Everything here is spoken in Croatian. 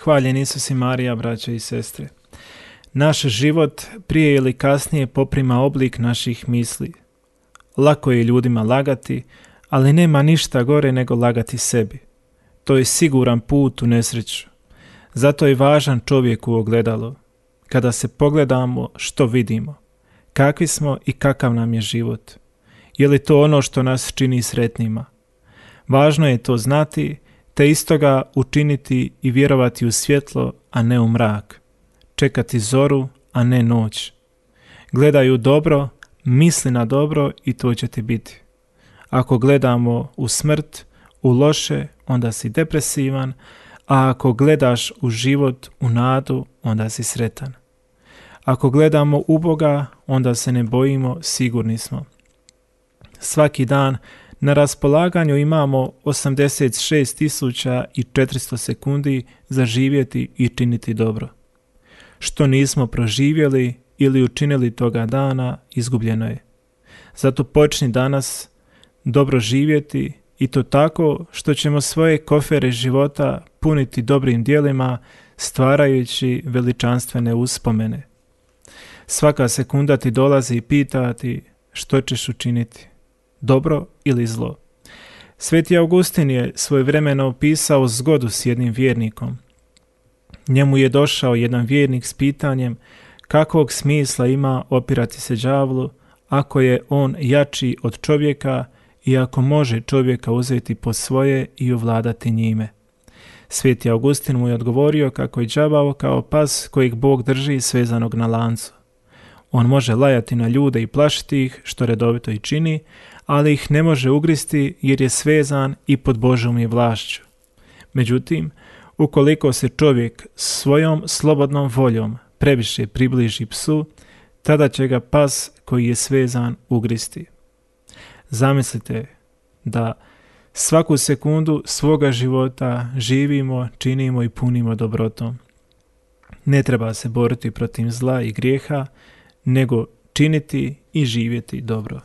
Hvaljen Isus i Marija, braće i sestre. Naš život prije ili kasnije poprima oblik naših misli. Lako je ljudima lagati, ali nema ništa gore nego lagati sebi. To je siguran put u nesreću. Zato je važan čovjek u ogledalo. Kada se pogledamo, što vidimo? Kakvi smo i kakav nam je život? Je li to ono što nas čini sretnima? Važno je to znati, te istoga učiniti i vjerovati u svjetlo, a ne u mrak. Čekati zoru, a ne noć. Gledaj u dobro, misli na dobro i to će ti biti. Ako gledamo u smrt, u loše, onda si depresivan, a ako gledaš u život, u nadu, onda si sretan. Ako gledamo u Boga, onda se ne bojimo, sigurni smo. Svaki dan na raspolaganju imamo 86.400 sekundi za živjeti i činiti dobro. Što nismo proživjeli ili učinili toga dana, izgubljeno je. Zato počni danas dobro živjeti i to tako što ćemo svoje kofere života puniti dobrim djelima, stvarajući veličanstvene uspomene. Svaka sekunda ti dolazi i pita ti što ćeš učiniti, dobro ili zlo. Sveti Augustin je svojevremeno opisao zgodu s jednim vjernikom. Njemu je došao jedan vjernik s pitanjem kakvog smisla ima opirati se đavlu ako je on jači od čovjeka i ako može čovjeka uzeti po svoje i ovladati njime. Sveti Augustin mu je odgovorio kako je đavao kao pas kojeg Bog drži svezanog na lancu. On može lajati na ljude i plašiti ih, što redovito i čini, ali ih ne može ugristi jer je svezan i pod Božjom je vlašću. Međutim, ukoliko se čovjek svojom slobodnom voljom previše približi psu, tada će ga pas koji je svezan ugristi. Zamislite da svaku sekundu svoga života živimo, činimo i punimo dobrotom. Ne treba se boriti protiv zla i grijeha, nego činiti i živjeti dobro.